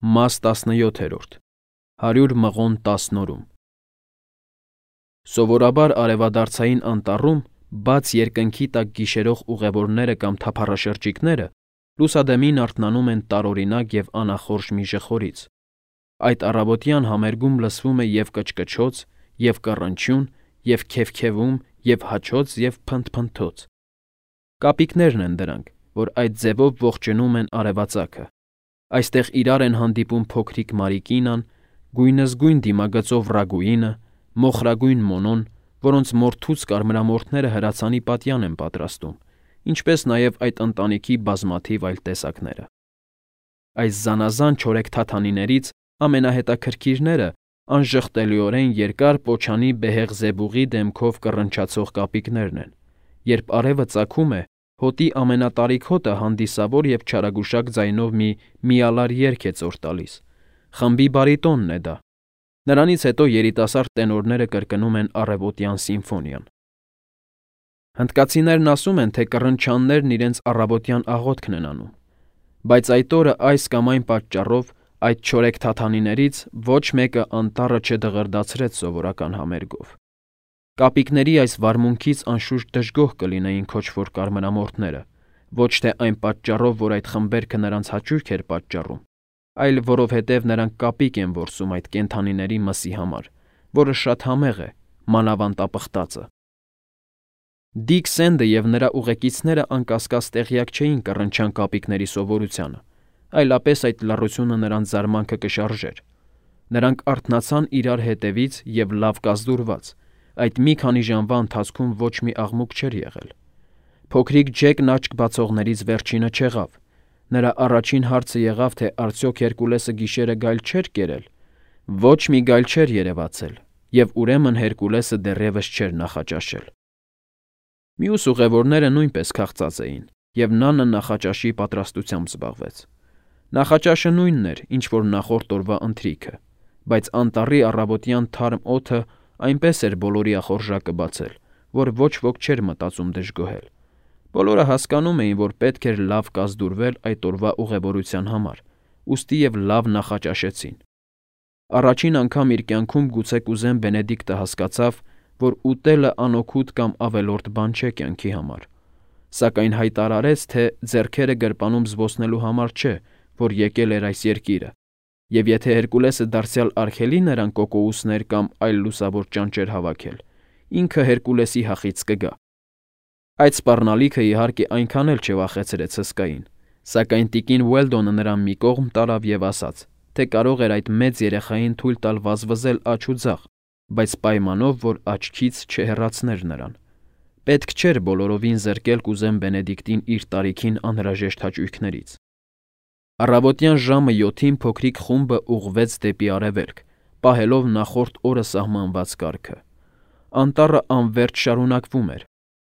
Մաս 17 100 մղոն 10 նորում Սովորաբար արևադարձային անտառում բաց երկնքի տակ գիշերող ուղևորները կամ թափառաշրջիկները լուսադեմին արթնանում են տարօրինակ և անախորժ մի ժխորից։ Այդ առավոտյան համերգում լսվում է և կչկչոց, և կռնչյուն, և քևքևում, և հաչոց, և փնթփնթոց։ Կապիկներն են դրանք, որ այդ ձևով ողջունում են արևածագը։ Այստեղ իրար են հանդիպում փոքրիկ Մարիկինան, գույնզգույն դիմագծով Ռագուինը, մոխրագույն Մոնոն, որոնց մորթուց կարմրամորթները հրացանի պատյան են պատրաստում, ինչպես նաև այդ ընտանիքի բազմաթիվ այլ տեսակները։ Այս զանազան չորեքթաթանիներից ամենահետաքրքիրները անժխտելիորեն երկար պոչանի բեհեղ զեբուղի դեմքով կռնչացող կապիկներն են, երբ արևը ծագում է, հոտի ամենատարիք հոտը հանդիսավոր և չարագուշակ ձայնով մի միալար երգ է ծոր տալիս, խմբի բարիտոնն է դա։ Նրանից հետո երիտասարդ տենորները կրկնում են առավոտյան սիմֆոնիան։ Հնդկացիներն ասում են, թե կռնչաններն իրենց առավոտյան աղոթքն են անում, բայց այդ օրը այս կամ այն պատճառով այդ չորեքթաթանիներից ոչ մեկը անտառը չդղրդացրեց սովորական համերգով։ Կապիկների այս վարմունքից անշուշտ դժգոհ կլինեին քոչվոր կարմրամորթները, ոչ թե այն պատճառով, որ այդ խմբերքը նրանց հաճույք էր պատճառում, այլ որովհետև նրանք կապիկ են որսում այդ կենդանիների մսի համար, որը շատ համեղ է, մանավանդ ապխտածը։ Դիկ Սենդը և նրա ուղեկիցները անկասկած տեղյակ չէին կռնչան կապիկների սովորությանը, այլապես այդ լռությունը նրանց զարմանքը կշարժեր։ Նրանք արթնացան իրար հետևից և լավ կազդուրված, այդ մի քանի ժամվա ընթացքում ոչ մի աղմուկ չէր եղել։ Փոքրիկ Ջեկն աչք բացողներից վերջինը չեղավ։ Նրա առաջին հարցը եղավ, թե արդյոք Հերկուլեսը գիշերը գայլ չէր կերել։ Ոչ մի գայլ չէր երևացել, և ուրեմն Հերկուլեսը դեռևս չէր նախաճաշել։ Մյուս ուղևորները նույնպես քաղցած էին, և Նանը նախաճաշի պատրաստությամբ զբաղվեց։ Նախաճաշը նույնն էր, ինչ որ նախորդ օրվա ընթրիքը, բայց անտառի առավոտյան թարմ օդը այնպես էր բոլորի ախորժակը բացել, որ ոչ ոք չէր մտածում դժգոհել։ Բոլորը հասկանում էին, որ պետք էր լավ կազդուրվել այդ օրվա ուղևորության համար, ուստի և լավ նախաճաշեցին։ Առաջին անգամ իր կյանքում գուցե կուզեն Բենեդիկտը հասկացավ, որ ուտելը անօգուտ կամ ավելորդ բան չէ կյանքի համար, սակայն հայտարարեց, թե ձեռքերը գրպանում զբոսնելու համար չէ, որ եկել էր այս երկիրը, և եթե Հերկուլեսը դարձյալ արգելի նրան կոկոուսներ կամ այլ լուսավոր ճանճեր հավաքել, ինքը Հերկուլեսի հախից կգա։ Այդ սպառնալիքը իհարկե այնքան էլ չվախեցրեց հսկային, սակայն տիկին Ուելդոնը նրան մի կողմ տարավ և ասաց, թե կարող էր այդ մեծ երեխային թույլ տալ վազվզել աջ ու ձախ, բայց պայմանով, որ աչքից չհեռացներ նրան։ Պետք չէր բոլորովին զրկել կուզեն Բենեդիկտին իր տարիքին անհրաժեշտ հաճույքներից։ Առավոտյան ժամը 7-ին փոքրիկ խումբը ուղղվեց դեպի արևելք, պահելով նախորդ օրը սահմանված կարգը։ Անտառը անվերջ շարունակվում էր։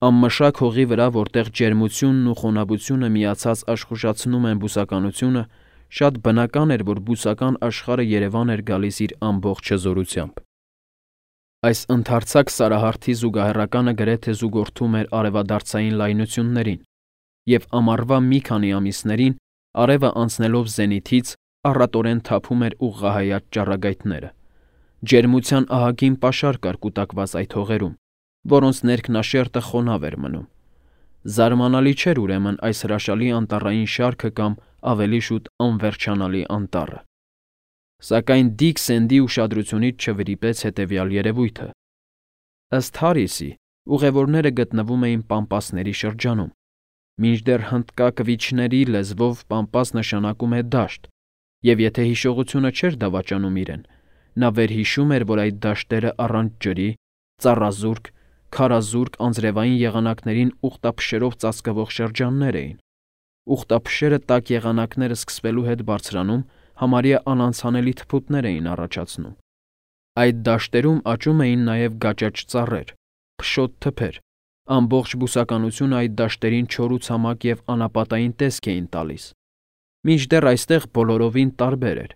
Անմշակ հողի վրա, որտեղ ջերմությունն ու խոնավությունը միացած աշխուժացնում են բուսականությունը, շատ բնական էր, որ բուսական աշխարհը Երևան էր գալիս իր ամբողջ հզորությամբ։ Այս ընդարձակ սարահարթի զուգահեռականը գրեթե զուգորդում էր արևադարձային լայնություններին, և ամառվա մի քանի ամիսներին, արևը անցնելով զենիթից, առատորեն թափում էր ուղղահայաց ճառագայթները։ Ջերմության ահագին պաշար կար կուտակված այդ հողերում, որոնց ներքնաշերտը խոնավ էր մնում։ Զարմանալի չէր ուրեմն այս հրաշալի անտառային շարքը կամ ավելի շուտ անվերջանալի անտառը։ Սակայն Դիկ Սենդի ուշադրությունից չվրիպեց հետևյալ երևույթը։ Ըստ Հարիսի, ուղևորները գտնվում էին Պամպասների շրջանում, մինչդեռ հնդկա կվիչների լեզվով Պամպաս նշանակում է դաշտ, և եթե հիշողությունը չէր դավաճանում իրեն, նա վերհիշում էր, որ այդ դաշտերը առանց ջրի, ծառազուրկ, քարազուրկ անձրևային եղանակներին ուխտափշերով ծածկվող շրջաններ էին։ Ուխտափշերը տաք եղանակները սկսվելու հետ բարձրանում համարյա անանցանելի թփուտներ էին առաջացնում։ Այդ դաշտերում աճում էին նաև գաճաճ ծառեր, փշոտ թփեր, ամբողջ բուսականությունը այդ դաշտերին չոր ու ցամաք և անապատային տեսք էին տալիս։ Մինչդեռ այստեղ բոլորովին տարբեր էր,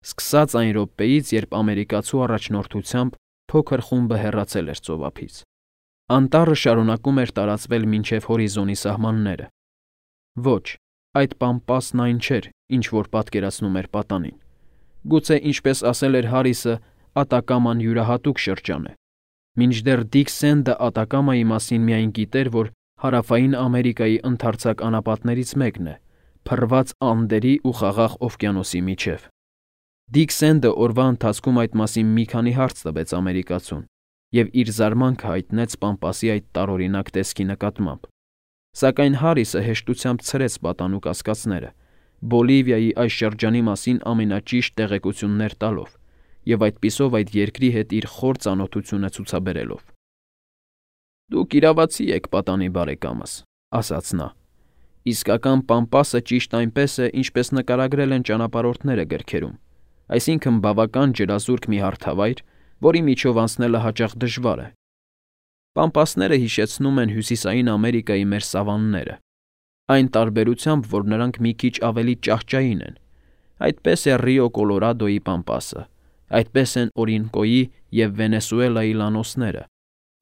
սկսած այն րոպեից, երբ ամերիկացու առաջնորդությամբ փոքր խումբը հեռացել էր ծովափից։ Անտառը շարունակում էր տարածվել մինչև հորիզոնի սահմանները։ Ոչ, այդ Պամպասն այն չէր, ինչ որ պատկերացնում էր պատանին։ Գուցե, ինչպես ասել էր Հարիսը, Ատակաման յուրահատուկ շրջան է։ Մինչդեռ Դիկ Սենդը Ատակամայի մասին միայն գիտեր, որ Հարավային Ամերիկայի ընդարձակ անապատներից մեկն է, փռված Անդերի ու Խաղաղ օվկիանոսի միջև։ Դիկ Սենդը օրվա ընթացքում այդ մասին մի քանի հարց տվեց ամերիկացուն և իր զարմանքը հայտնեց Պամպասի այդ տարօրինակ տեսքի նկատմամբ։ Սակայն Հարիսը հեշտությամբ ցրեց պատանու կասկածները, Բոլիվիայի այս շրջանի մասին ամենաճիշտ տեղեկություններ տալով և այդպիսով այդ երկրի հետ իր խոր ծանոթությունը ցուցաբերելով։ «Դուք իրավացի եք, պատանի բարեկամս», ասաց նա։ «Իսկական Պամպասը ճիշտ այնպես է, ինչպես նկարագրել են ճանապարհորդները գրքերում, այսինքն բավական ջրազուրկ մի հարթավայր, որի միջով անցնելը հաճախ դժվար է։ Պամպասները հիշեցնում են Հյուսիսային Ամերիկայի մեր սավանները, այն տարբերությամբ, որ նրանք մի քիչ ավելի ճահճային են։ Այդպես է Ռիո Կոլորադոյի Պամպասը, այդպես են Օրինկոյի և Վենեսուելայի լանոսները,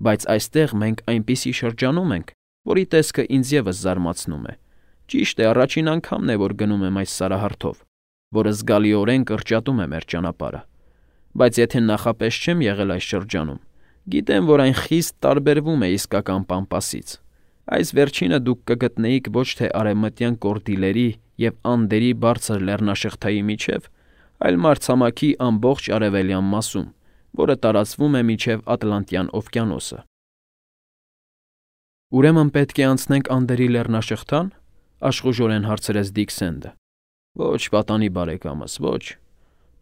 բայց այստեղ մենք այնպիսի շրջանում ենք, որի տեսքը ինձ ևս զարմացնում է։ Ճիշտ է, առաջին անգամն է, որ գնում եմ այս սարահարթով, որը զգալիորեն կրճատում է մեր ճանապարհը։ Բայց եթե նախապես չեմ եղել այս շրջանում, գիտեմ, որ այն խիստ տարբերվում է իսկական Պամպասից։ Այս վերջինը դուք կգտնեիք ոչ թե արևմտյան Կորդիլերի և Անդերի բարձր լեռնաշղթայի միջև, այլ մայրցամաքի ամբողջ արևելյան մասում, որը տարածվում է մինչև Ատլանտյան օվկիանոսը»։ «Ուրեմն պետք է անցնենք Անդերի լեռնաշղթա՞ն», աշխուժորեն հարցրեց Դիկ Սենդը։ «Ոչ, պատանի բարեկամս, ոչ»,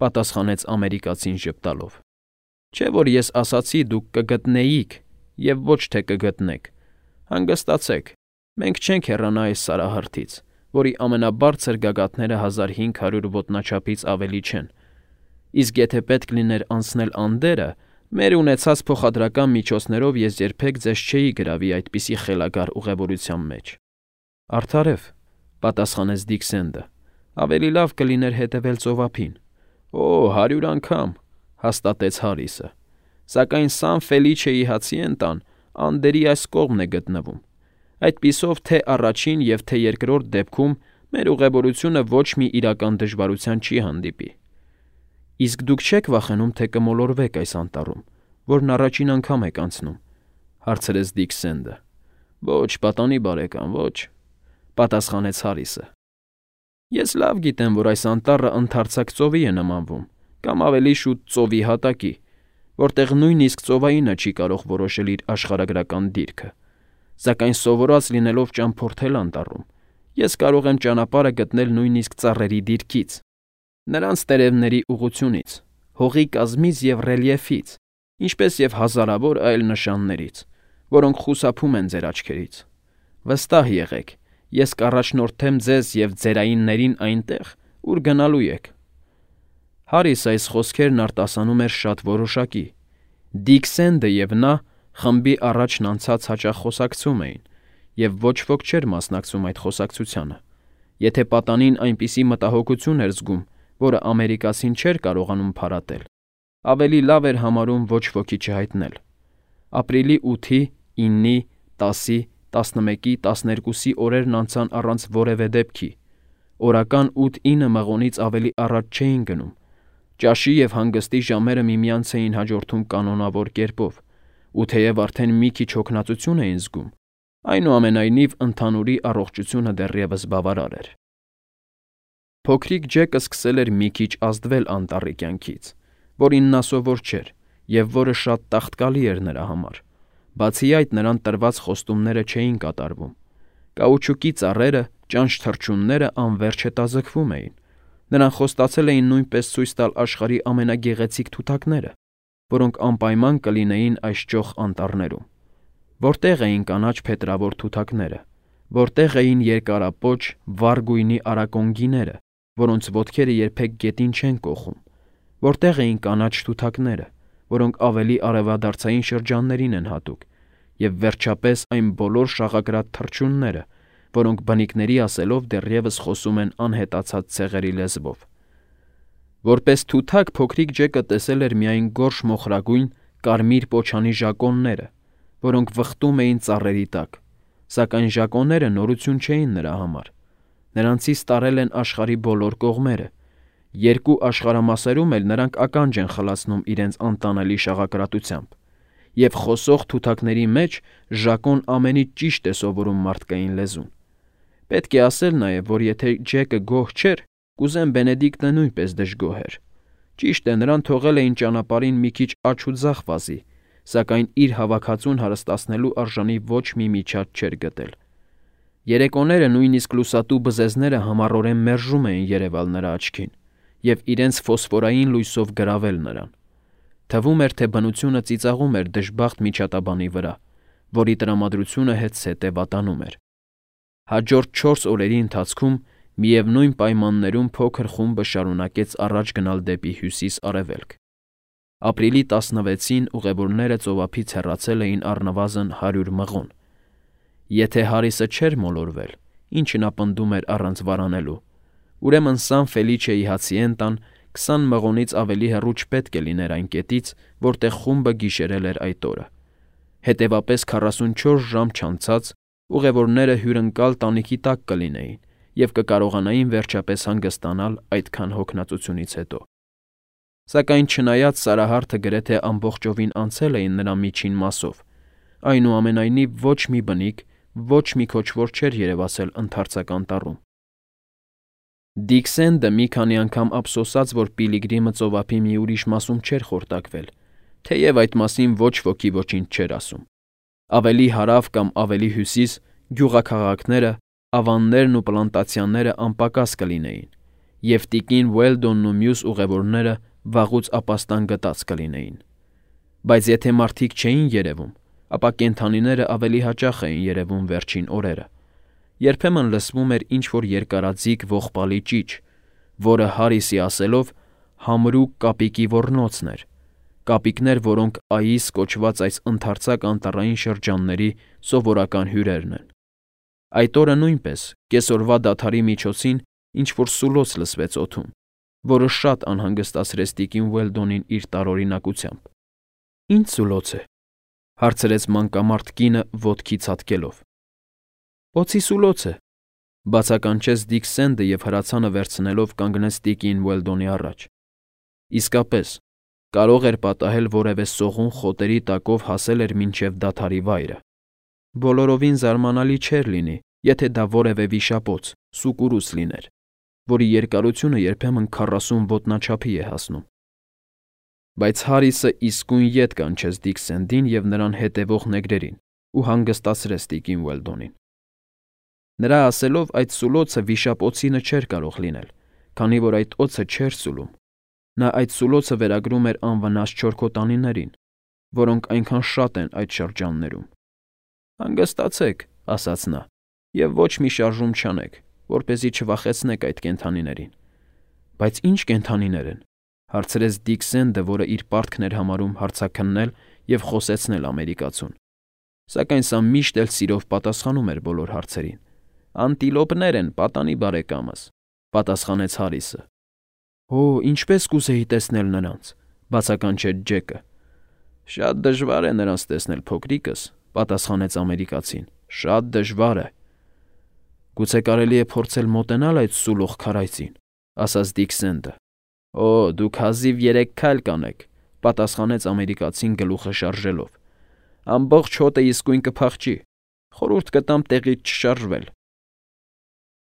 պատասխանեց ամերիկացին ժպտալով։ «Չէ՞ որ ես ասացի դուք կգտնեիք և ոչ թե կգտնեք։ Հանգստացեք, մենք չենք հեռանա այս սարահարթից, որի ամենաբարձր գագաթները 1500 ոտնաչափից ավելի չեն։ Իսկ եթե պետք լիներ անցնել Անդերը, մեր ունեցած փոխադրական միջոցներով ես երբեք ձեզ չէի գրավի այդպիսի խելագար ուղևորության մեջ»։ «Արդարև», պատասխանեց Դիկ Սենդը, ավելի լավ կլիներ հետևել ծովափին։ «Օ, 100 անգամ», հաստատեց Հարիսը։ «Սակայն Սան Ֆելիչեի Հացիենտան Անդերի այս կողմն է գտնվում։ Այդպիսով թե առաջին և թե երկրորդ դեպքում մեր ուղևորությունը ոչ մի իրական դժվարության չի հանդիպի»։ «Իսկ դուք չեք վախենում, թե կմոլորվեք այս անտառում, որն առաջին անգամ եք անցնում», հարցրեց Դիկ Սենդը։ «Ոչ, պատանի բարեկամ, ոչ», պատասխանեց Հարիսը։ «Ես լավ գիտեմ, որ այս անտառը ընդարձակ ծովի է նմանվում, կամ ավելի շուտ ծովի հատակի, որտեղ նույնիսկ ծովայինը չի կարող որոշել իր աշխարհագրական դիրքը։ Սակայն սովորած լինելով ճամփորդել անտառում, ես կարող եմ ճանապարհը գտնել նույնիսկ ծառերի դիրքից, նրանց տերևների ուղղությունից, հողի կազմից և ռելիեֆից, ինչպես և հազարավոր այլ նշաններից, որոնք խուսափում են ձեր աչքերից։ Վստահ եղեք, ես կառաջնորդեմ ձեզ և ձերայիններին այնտեղ, ուր գնալու եք»։ Հարիսը այս խոսքերն արտասանում էր շատ որոշակի։ Դիկ Սենդը և նա խմբի առաջն անցած հաճախ խոսակցում էին, և ոչ ոք չէր մասնակցում այդ խոսակցությանը։ Եթե պատանին այնպիսի մտահոգություն էր զգում, որը ամերիկացին չէր կարողանում փարատել, ավելի լավ էր համարում ոչ ոքի չհայտնել։ Ապրիլի 8-ի, 9-ի, 10-ի, 11-ի, 12-ի օրերն անցան առանց որևէ դեպքի։ Օրական 8-9 մղոնից ավելի առաջ չէին գնում։ Ճաշի և հանգստի ժամերը միմյանց էին հաջորդում կանոնավոր կերպով, ու թեև արդեն մի քիչ հոգնածություն էին զգում, այնուամենայնիվ ընդհանուրի առողջությունը դեռևս բավարար էր։ Փոքրիկ Ջեկը սկսել էր մի քիչ ազդվել անտառի կյանքից, որին նա սովոր չէր և որը շատ տաղտկալի էր նրա համար։ Բացի այդ, նրան տրված խոստումները չէին կատարվում։ Կաուչուկի ծառերը, ճանճ թռչունները անվերջ հետաձգվում էին։ Նրան խոստացել էին նույնպես ցույց տալ աշխարհի ամենագեղեցիկ թութակները, որոնք անպայման կլինեին այս ճոխ անտառներում։ Որտեղ էին կանաչ փետրավոր թութակները, որտեղ էին երկարապոչ, վառ գույնի արակոնգիները, որոնց ոտքերը երբեք գետին չեն կոխում, որտեղ էին կանաչ թութակները, որոնք ավելի արևադարձային շրջաններին են հատուկ, և վերջապես այն բոլոր շաղակրատ թռչունները, որոնք բնիկների ասելով դեռևս խոսում են անհետացած ցեղերի լեզվով։ Որպես թութակ փոքրիկ Ջեկը տեսել էր միայն գորշ մոխրագույն, կարմիր պոչանի ժակոնները, որոնք վխտում էին ծառերի տակ, սակայն ժակոնները նորություն չէին նրա համար։ Նրանցից տարել են աշխարհի բոլոր կողմերը, Երկու աշխարհամասերում էլ նրանք ականջ են խլացնում իրենց անտանելի շաղակրատությամբ, և խոսող թութակների մեջ Ժակոն ամենից ճիշտ է սովորում մարդկային լեզուն։ Պետք է ասել նաև, որ եթե Ջեկը գոհ չէր, կուզեն Բենեդիկտը նույնպես դժգոհ էր։ Ճիշտ է, նրան թողել էին ճանապարհին մի քիչ աջ ու ձախ վազի, սակայն իր հավաքածուն հարստացնելու արժանի ոչ մի միջած չէր գտել։ Երեկոները նույնիսկ լուսատու բզեզները համառորեն մերժում էին երևալ նրա աչքին և իրենց ֆոսֆորային լույսով գրավել նրան։ Թվում էր, թե բնությունը ծիծաղում էր դժբախտ միջատաբանի վրա, որի տրամադրությունը հետզհետե վատանում էր։ Հաջորդ 4 օրերի ընթացքում միևնույն պայմաններում փոքր խումբը շարունակեց առաջ գնալ դեպի հյուսիս-արևելք։ Ապրիլի 16-ին ուղևորները ծովափից հեռացել էին առնվազն 100 մղոն։ Եթե Հարիսը չէր մոլորվել, ինչը նա պնդում էր առանց վարանելու, ուրեմն Սան Ֆելիչեի հացիենտան 20 մղոնից ավելի հեռու չպետք է լիներ այն կետից, որտեղ խումբը գիշերել էր այդ օրը։ Հետևապես 44 ժամ չանցած ուղևորները հյուրընկալ տանիքի տակ կլինեին և կկարողանային վերջապես հանգստանալ այդքան հոգնածությունից հետո։ Սակայն չնայած Սարահարթը գրեթե ամբողջովին անցել էին նրա միջին մասով, այնուամենայնիվ ոչ մի բնիկ, ոչ մի քոչվոր չէր երևացել ընդարձակ անտառում։ Դիկ Սենդը մի քանի անգամ ափսոսաց, որ Պիլիգրիմը ծովափի մի ուրիշ մասում չէր խորտակվել, թեև այդ մասին ոչ ոքի ոչինչ չէր ասում։ Ավելի հարավ կամ ավելի հյուսիս գյուղաքաղաքները, ավաններն ու պլանտացիաները անպակաս կլինեին, և տիկին Ուելդոնն ու մյուս ուղևորները վաղուց ապաստան գտած կլինեին։ Բայց եթե մարդիկ չէին երևում, ապա կենդանիները ավելի հաճախ էին երևում վերջին օրերը։ Երբեմն լսվում էր ինչ-որ երկարաձիգ ողբալի ճիչ, որը Հարիսի ասելով համրուկ կապիկի ոռնոցն էր, կապիկներ, որոնք Այիս կոչված այս ընդարձակ անտառային շրջանների սովորական հյուրերն են։ Այդ օրը նույնպես կեսօրվա դադարի միջոցին ինչ-որ սուլոց լսվեց օդում, որը շատ անհանգստացրեց տիկին Ուելդոնին իր տարօրինակությամբ։ «Ինչ սուլոց է», հարցրեց մանկամարդ կինը ոտքի ցատկելով։ «Օձի սուլոց է», բացականչեց Դիկ Սենդը և հրացանը վերցնելով կանգնեց տիկին Ուելդոնի առաջ։ Իսկապես, կարող էր պատահել որևէ սողուն խոտերի տակով հասել էր մինչև դադարի վայրը։ Բոլորովին զարմանալի չէր լինի, եթե դա որևէ վիշապոց, սուկուրուց լիներ, որի երկարությունը երբեմն 40 ոտնաչափի է հասնում։ Բայց Հարիսը իսկույն ետ կանչեց Դիկ Սենդին և նրան հետևող նեգրերին ու հանգստացրեց տիկին Ուելդոնին։ Նրա ասելով այդ սուլոցը վիշապ-օձինը չէր կարող լինել, քանի որ այդ օձը չէր սուլում։ Նա այդ սուլոցը վերագրում էր անվնաս չորքոտանիներին, որոնք այնքան շատ են այդ շրջաններում։ «Հանգստացեք», ասաց նա, «և ոչ մի շարժում չանեք, որպեսզի չվախեցնեք այդ կենդանիներին»։ «Բայց ի՞նչ կենդանիներ են», հարցրեց Դիկ Սենդը, որը իր պարտքն էր համարում հարցաքննել և խոսեցնել ամերիկացուն։ Սակայն սա միշտ էլ սիրով պատասխանում էր բոլոր հարցերին։ «Անտիլոպներ են, պատանի բարեկամս», պատասխանեց Հարիսը։ «Օ, ինչպես կուզեի տեսնել նրանց», բացականչեց Ջեկը։ «Շատ դժվար է նրանց տեսնել, փոքրիկս», պատասխանեց ամերիկացին։ «Շատ դժվար է»։ «Գուցե կարելի է փորձել մոտենալ այդ սուլող քարայծին», ասաց Դիկ Սենդը։ «Օ, դուք հազիվ 3 քայլ կանեք», պատասխանեց ամերիկացին գլուխը շարժելով։ «Ամբողջ հոտը իսկույն կփախչի։ Խորհուրդ կտամ տեղից չշարժվել»։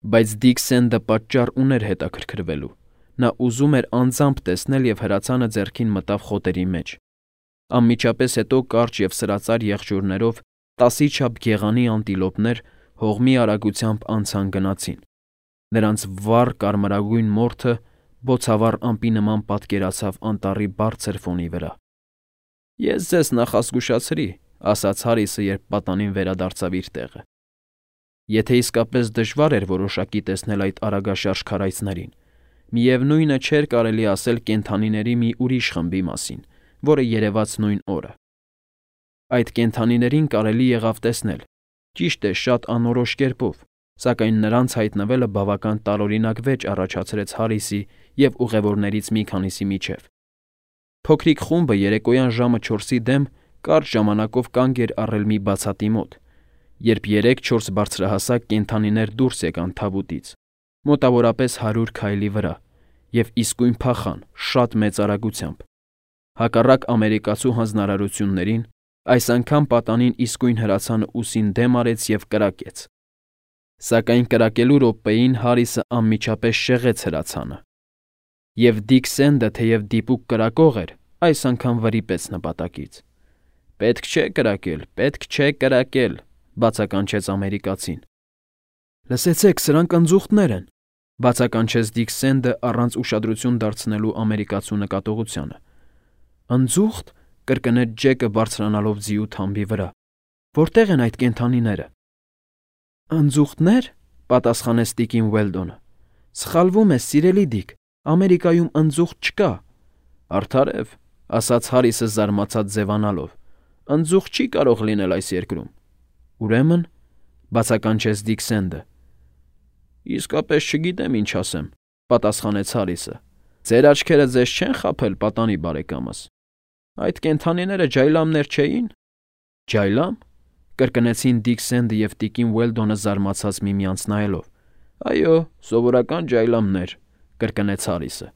Բայց Դիկ Սենդը պատճառ ուներ հետաքրքրվելու։ Նա ուզում էր անձամբ տեսնել և հրացանը ձեռքին մտավ խոտերի մեջ։ Անմիջապես հետո կարճ և սրածայր եղջյուրներով 10-ի չափ գեղանի անտիլոպներ հողմի արագությամբ անցան գնացին։ Նրանց վառ կարմրագույն մորթը բոցավառ ամպի նման պատկերացավ անտառի բարձր ֆոնի վրա։ «Ես ձեզ նախազգուշացրի», ասաց Հարիսը, երբ պատանին վերադարձավ իր տեղը։ Եթե իսկապես դժվար էր որոշակի տեսնել այդ արագաշարժ քարայծներին, միևնույնը չէր կարելի ասել կենդանիների մի ուրիշ խմբի մասին, որը երևաց նույն օրը։ Այդ կենդանիներին կարելի եղավ տեսնել, ճիշտ է, շատ անորոշ կերպով, սակայն նրանց հայտնվելը բավական տարօրինակ վեճ առաջացրեց Հարիսի և ուղևորներից մի քանիսի միջև։ Փոքրիկ խումբը երեկոյան ժամը 4-ի դեմ կարճ ժամանակով կանգ էր առել մի բացատի մոտ, երբ 3-4 բարձրահասակ կենդանիներ դուրս եկան թավուտից, մոտավորապես 100 քայլի վրա, և իսկույն փախան շատ մեծ արագությամբ։ Հակառակ ամերիկացու հանձնարարություններին, այս անգամ պատանին իսկույն հրացանը ուսին դեմ արեց և կրակեց։ Սակայն կրակելու րոպեին Հարիսը անմիջապես շեղեց հրացանը։ Եվ Դիկ Սենդը, թեև դիպուկ կրակող էր, այս անգամ վրիպեց նպատակից։ «Պետք չէ կրակել, պետք չէ կրակել», բացականչեց ամերիկացին։ «Լսեցեք, սրանք ընձուղտներ են», բացականչեց Դիկ Սենդը առանց ուշադրություն դարձնելու ամերիկացու նկատողությանը։ «Ընձուղտ», կրկնեց Ջեկը բարձրանալով ձիու թամբի վրա։ «Որտե՞ղ են այդ կենդանիները»։ «Ընձուղտնե՞ր», պատասխանեց տիկին Ուելդոնը։ «Սխալվում ես, սիրելի Դիկ, Ամերիկայում ընձուղտ չկա»։ «Արդարև», ասաց Հարիսը զարմացած ձևանալով, «ընձուղտ չի կարող լինել այս երկրում»։ «Ուրեմն», բացականչեց Դիկ Սենդը։ «Իսկապես չգիտեմ ինչ ասեմ», պատասխանեց Հարիսը։ «Ձեր աչքերը ձեզ չեն խաբել, պատանի բարեկամս։ Այդ կենդանիները ջայլամներ չէի՞ն»։ «Ջայլամ», կրկնեցին Դիկ Սենդը և տիկին Ուելդոնը զարմացած միմյանց նայելով։ «Այո, սովորական ջայլամներ», կրկնեց Հարիսը։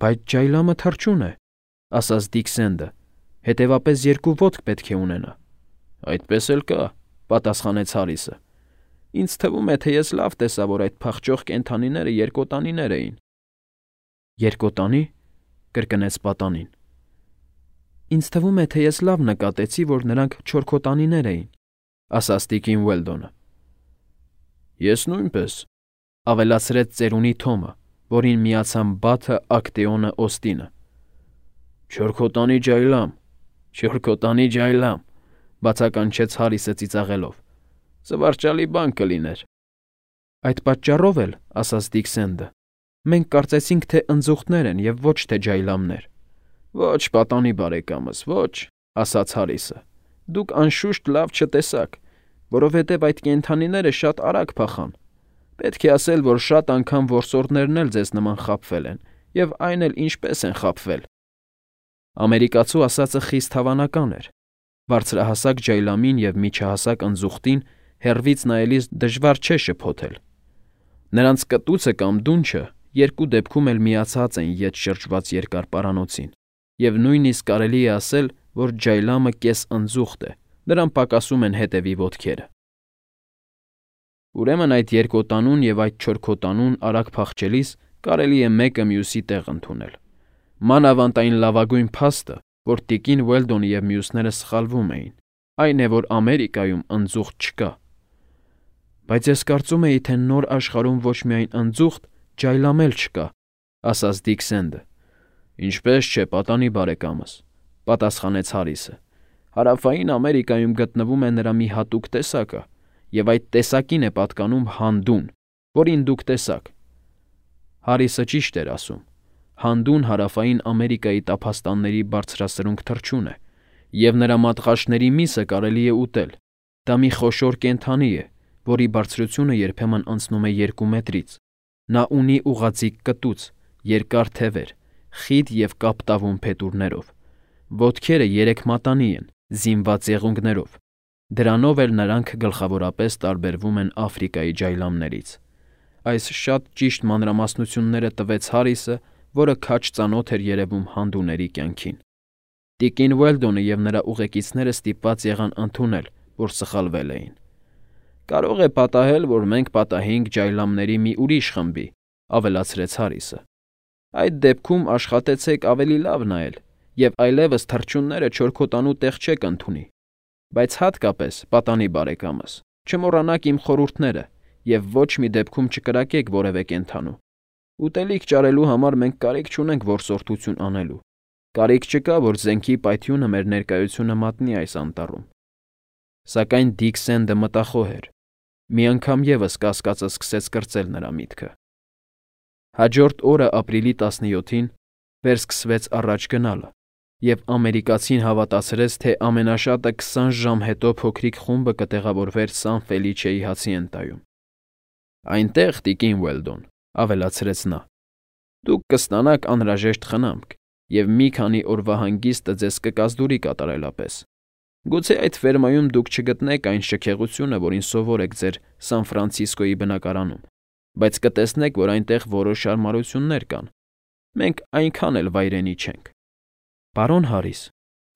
«Բայց ջայլամը թռչուն է», ասաց Դիկ Սենդը, «հետևապես երկու ոտք պետք է ունենա»։ «Այդպես էլ կա», պատասխանեց Հարիսը։ «Ինձ թվում է, թե ես լավ տեսա, որ այդ փախչող կենդանիները երկոտանիներ էին»։ «Երկոտանի՞», կրկնեց պատանին։ «Ինձ թվում է, թե ես լավ նկատեցի, որ նրանք չորքոտանիներ էին», ասաց տիկին Ուելդոնը։ «Ես նույնպես», ավելացրեց ծերունի Թոմը, որին միացան Բաթը, Ակտեոնը, Օստինը։ «Չորքոտանի ջայլամ, չորքոտանի ջայլամ», բացականչեց Հարիսը ծիծաղելով։ «Զվարճալի բան կլիներ»։ «Այդ պատճառով էլ», ասաց Դիկ Սենդը, «մենք կարծեցինք, թե ընձուղտներ են և ոչ թե ջայլամներ»։ «Ոչ, պատանի բարեկամս, ոչ», ասաց Հարիսը։ «Դուք անշուշտ լավ չտեսաք, որովհետև այդ կենդանիները շատ արագ փախան։ Պետք է ասել, որ շատ անգամ որսորդներն էլ ձեզ նման խաբվել են, և այն էլ ինչպես են խաբվել»։ Ամերիկացու ասածը խիստ հավանական էր։ Բարձրահասակ ջայլամին և միջահասակ ընձուղտին հեռվից նայելիս դժվար չէ շփոթել։ Նրանց կտուցը կամ դունչը երկու դեպքում էլ միացած են ետ շրջված երկար պարանոցին, և նույնիսկ կարելի է ասել, որ ջայլամը կես֊ընձուղտ է, նրան պակասում են հետևի ոտքերը։ Ուրեմն այդ երկոտանուն և այդ չորքոտանուն արագ փախչելիս կարելի է մեկը մյուսի տեղ ընդունել։ Մանավանդ այն լավագույն փաստը, որ տիկին Ուելդոնը և մյուսները սխալվում էին, այն է, որ Ամերիկայում ընձուղտ չկա։ «Բայց ես կարծում էի, թե նոր աշխարհում ոչ միայն ընձուղտ, ջայլամ էլ չկա», ասաց Դիկ Սենդը։ «Ինչպես չէ, պատանի բարեկամս», պատասխանեց Հարիսը։ «Հարավային Ամերիկայում գտնվում է նրա մի հատուկ տեսակը, և այդ տեսակին է պատկանում հանդուն, որին դուք տեսաք»։ Հարիսը ճիշտ էր ասում։ Հանդուն Հարավային Ամերիկայի տափաստանների բարձրասրունք թռչուն է, և նրա մատղաշների միսը կարելի է ուտել։ Դա մի խոշոր կենդանի է, որի բարձրությունը երբեմն անցնում է 2 մետրից։ Նա ունի ուղղաձիգ կտուց, երկար թևեր, խիտ և կապտավուն փետուրներով։ Ոտքերը 3 մատանի են, զինված եղունգներով։ Դրանով էլ նրանք գլխավորապես տարբերվում են Աֆրիկայի ջայլամներից։ Այս շատ ճիշտ մանրամասնությունները տվեց Հարիսը, որը քաջ ծանոթ էր երևում հանդուների կյանքին։ Տիկին Ուելդոնը և նրա ուղեկիցները ստիպված եղան ընդունել, որ սխալվել էին։ «Կարող է պատահել, որ մենք պատահենք ջայլամների մի ուրիշ խմբի», ավելացրեց Հարիսը։ «Այդ դեպքում աշխատեցեք ավելի լավ նայել, և այլևս թռչունները չորքոտանու տեղ չեք ընդունի։ Բայց հատկապես, պատանի բարեկամս, չմոռանաք իմ խորհուրդները և ոչ մի դեպքում չկրակեք որևէ կենդանու։ Ուտելիք ճարելու համար մենք կարիք չունենք որսորդություն անելու։ Կարիք չկա, որ զենքի պայթյունը մեր ներկայությունը մատնի այս անտառում»։ Սակայն Դիկ Սենդը մտախոհ էր։ Մի անգամ ևս կասկածը սկսեց կրծել նրա միտքը։ Հաջորդ օրը ապրիլի 17-ին վերսկսվեց առաջ գնալը, և ամերիկացին հավատացրեց, թե ամենաշատը 20 ժամ հետո փոքրիկ խումբը կտեղավորվեր Սան Ֆելիչեի հացի ընտայում։ «Այնտեղ, տիկին Ուելդոն», ավելացրեց նա, «դուք կստանաք անհրաժեշտ խնամք, և մի քանի օրվա հանգիստը ձեզ կկազդուրի կատարելապես։ Գուցե այդ ֆերմայում դուք չգտնեք այն շքեղությունը, որին սովոր եք ձեր Սան Ֆրանցիսկոյի բնակարանում, բայց կտեսնեք, որ այնտեղ որոշ հարմարություններ կան։ Մենք այնքան էլ վայրենի չենք։ Պարոն Հարիս,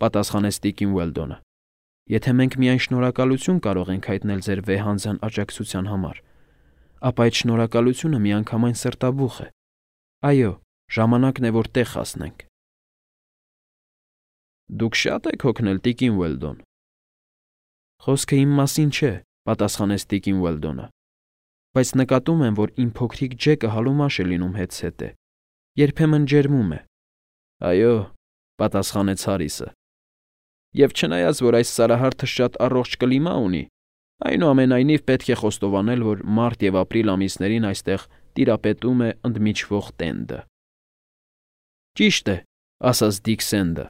պատասխանեց տիկին Ուելդոնը, եթե մենք միայն շնորհակալություն կարող ենք հայտնել ձեր վեհանձն աջակցության համար, ապա այդ շնորհակալությունը միանգամայն սրտաբուխ է։ Այո, ժամանակն է, որ տեղ հասնենք։ Դուք շատ եք հոգնել, տիկին Ուելդոն։ Խոսքը իմ մասին չէ, պատասխանեց տիկին Ուելդոնը, բայց նկատում եմ, որ իմ փոքրիկ Ջեկը հալումաշ է լինում հետզհետե, երբեմն ջերմում է։ Այո, պատասխանեց Հարիսը։ Եվ չնայած, որ այս սարահարթը շատ առողջ կլիմա ունի, այնուամենայնիվ պետք է խոստովանել, որ մարտ և ապրիլ ամիսներին այստեղ տիրապետում է ընդմիջվող տենդը։ Ճիշտ է, ասաց Դիքսենդը,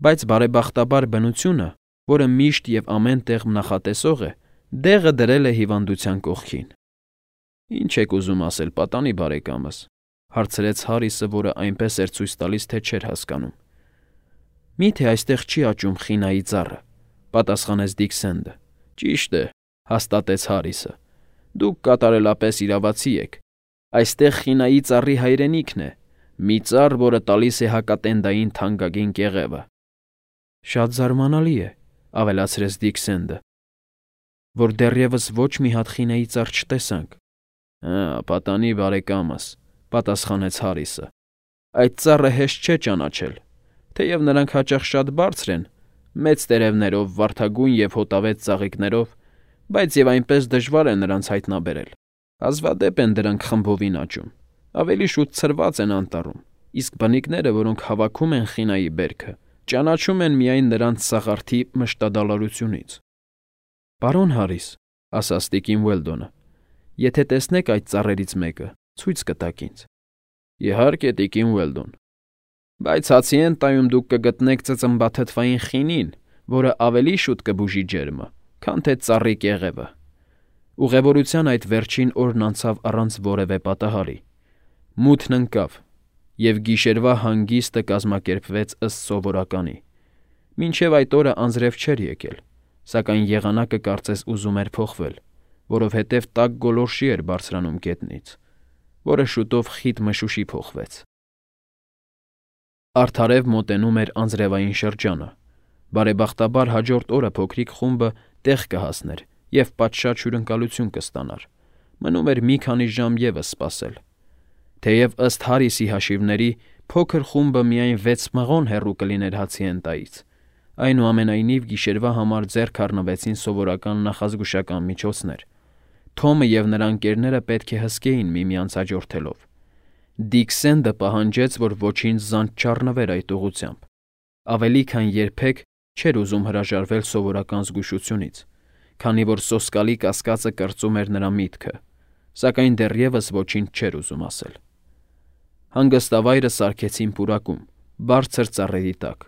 բայց բարեբախտաբար բնությունը, որը միշտ և ամեն տեղ նախատեսող է, դեղը դրել է հիվանդության կողքին։ Ինչ եք ուզում ասել, պատանի բարեկամս, հարցրեց Հարիսը, որը այնպես էր ցույց տալիս, թե չէր հասկանում։ Միթե այստեղ չի աճում խինայի ծառը, պատասխանեց Դիքսենդը։ Ճիշտ է, հաստատեց Հարիսը։ Դուք կատարելապես իրավացի եք։ Այստեղ խինայի ծառի հայրենիքն է, մի ծառ, որը տալիս է հակատենդային թանկագին կեղևը։ Շատ զարմանալի է, ավելացրեց Դիքսենդը, որ դեռևս ոչ մի հատ խինայի ծառ չտեսանք։ Պատանի բարեկամս, պատասխանեց Հարիսը։ Այդ ծառը հեշտ չէ ճանաչել, թեև նրանք հաճախ շատ բարձր են, մեծ տերևներով, վարդագույն և հոտավետ ծաղիկներով, բայց և այնպես դժվար է նրանց հայտնաբերել։ Հազվադեպ են դրանք խմբովին աճում, ավելի շուտ ցրված են անտառում, իսկ բնիկները, որոնք հավաքում են խինայի բերքը, ճանաչում են միայն նրանց սաղարթի մշտադալարությունից։ Պարոն Հարիս, ասաց տիկին Ուելդոնը, եթե տեսնեք այդ ծառերից մեկը, ցույց կտաք ինձ։ Իհարկե, տիկին Ուելդոն։ Բայց հացի են տայում դուք կգտնեք ծծմբաթթվային խինին, որը ավելի շուտ կբուժի ջերմը, քան թե ծառի կեղևը։ Ուղևորության այդ վերջին օրն անցավ առանց որևէ պատահարի։ Մութն ընկավ, և գիշերվա հանգիստը կազմակերպվեց ըստ սովորականի։ Մինչև այդ օրը անձրև չէր եկել, սակայն եղանակը կարծես ուզում էր փոխվել, որովհետև տաք գոլորշի էր բարձրանում գետնից, որը շուտով խիտ մշուշի փոխվեց։ Արդարև մոտենում էր անձրևային շրջանը։ Բարեբախտաբար հաջորդ օրը փոքրիկ խումբը տեղ կհասներ և պատշաճ հյուրընկալություն կստանար։ Մնում էր մի քանի ժամ ևս սպասել։ Թեև ըստ Հարիսի հաշիվների փոքր խումբը միայն 6 մղոն հեռու կլիներ հացի հենտայից, այնուամենայնիվ գիշերվա համար ձեռք առնվեցին սովորական նախազգուշական միջոցներ։ Թոմը և նրա ընկերները պետք է հսկեին միմյանց հաջորդելով։ Դիքսենդը պահանջեց, որ ոչինչ զանց չառնվեր այդ ուղղությամբ։ Ավելի քան երբեք չէր ուզում հրաժարվել սովորական զգուշությունից, քանի որ սոսկալի կասկածը կրծում էր նրա միտքը, սակայն դեռևս ոչինչ չէր ուզում ասել։ Հանգստավայրը սարքեցին պուրակում, բարձր ծառերի տակ։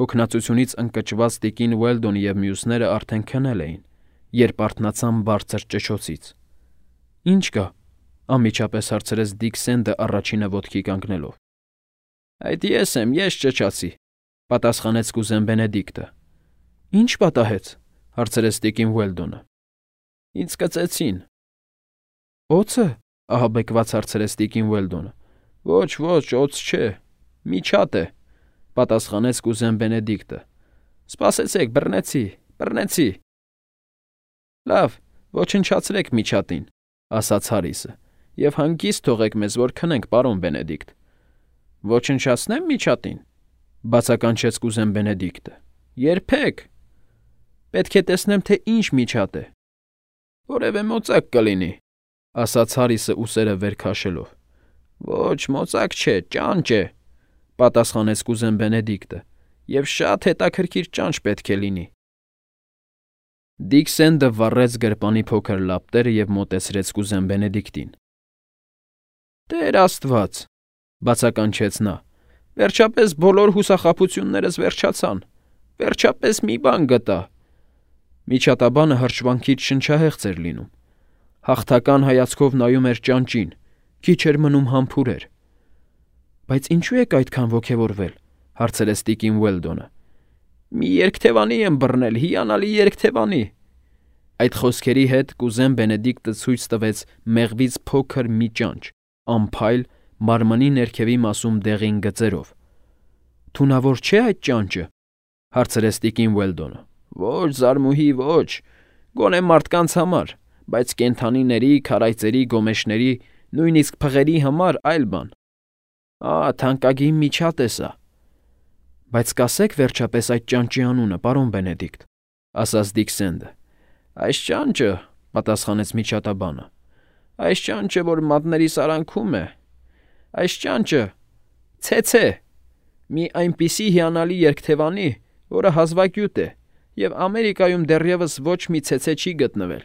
Հոգնածությունից ընկճված տիկին Ուելդոնը և մյուսները արդեն քնել էին, երբ արթնացան բարձր ճչոցից։ Ինչ կա, անմիջապես հարցրեց Դիքսենդը առաջինը ոտքի կանգնելով։ Այդ ես եմ, ես ճչացի, պատասխանեց կուզեն Բենեդիկտը։ Ինչ պատահեց, հարցրեց տիկին Ուելդոնը։ Ինձ կծեցին։ Օձը, ահաբեկված հարցրեց տիկին Ուելդոնը։ Ոչ, օձ չէ, միջատ է, պատասխանեց կուզեն Բենեդիկտը։ Սպասեցեք, բռնեցի։ Լավ, ոչնչացրեք միջատին, ասաց Հարիսը, և հանգիստ թողեք մեզ, որ քնենք, պարոն Բենեդիկտ։ Ոչնչացնեմ միջատին, բացականչեց կուզեն Բենեդիկտը։ Երբեք։ Պետք է տեսնեմ, թե ինչ միջատ է։ Որևէ մոծակ կլինի, ասաց Հարիսը ուսերը վեր քաշելով։ Ոչ, մոծակ չէ, ճանճ է, պատասխանեց կուզեն Բենեդիկտը, և շատ հետաքրքիր ճանճ պետք է լինի։ Դիքսենդը վառեց գրպանի փոքր լապտերը և մոտեցրեց կուզեն Բենեդիկտին։ Տեր Աստված, բացականչեց նա, վերջապես բոլոր հուսախաբություններս վերջացան, վերջապես մի բան գտա։ Միջատաբանը հրճվանքից շնչահեղձ էր լինում։ Հաղթական հայացքով նայում էր ճանճին, քիչ էր մնում համբուրեր։ Բայց ինչու եք այդքան ոգևորվել, հարցրեց տիկին Ուելդոնը։ Մի երկթևանի եմ բռնել, հիանալի երկթևանի։ Այդ խոսքերի հետ կուզեն Բենեդիկտը ցույց տվեց մեղվից փոքր մի ճանճ, անփայլ, մարմնի ներքևի մասում դեղին գծերով։ «Թունավոր չէ՞ այդ ճանճը», հարցրեց տիկին Ուելդոնը։ «Ոչ, զարմուհի, ոչ, գոնե մարդկանց համար, բայց կենդանիների, քարայծերի, գոմեշների, նույնիսկ փղերի համար այլ բան։ Թանկագին միջատ է սա»։ «Բայց կասեք վերջապես այդ ճանճի անունը, պարոն Բենեդիկտ», ասաց Դիքսենդը։ «Այս ճանճը», պատասխանեց միջատաբանը, «այս ճանճը, որ մատների սարանքում է, այս ճանճը ցեցե, մի այնպիսի հիանալի երգթևանի, որը հազվագյուտ է, և Ամերիկայում դեռևս ոչ մի ցեցե չի գտնվել»։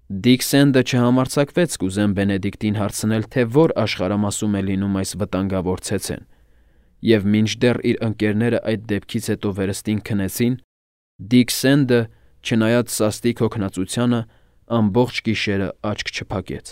Դիքսենդը չհամարձակվեց կուզեն Բենեդիկտին հարցնել, թե որ աշխարհամասում է լինում այս վտանգավոր ցեցեն, և մինչդեռ իր ընկերները այդ դեպքից հետո վերստին քնեցին, Դիքսենդը, չնայած սաստիկ հոգնածությանը, ամբողջ գիշերը աչք չփակեց։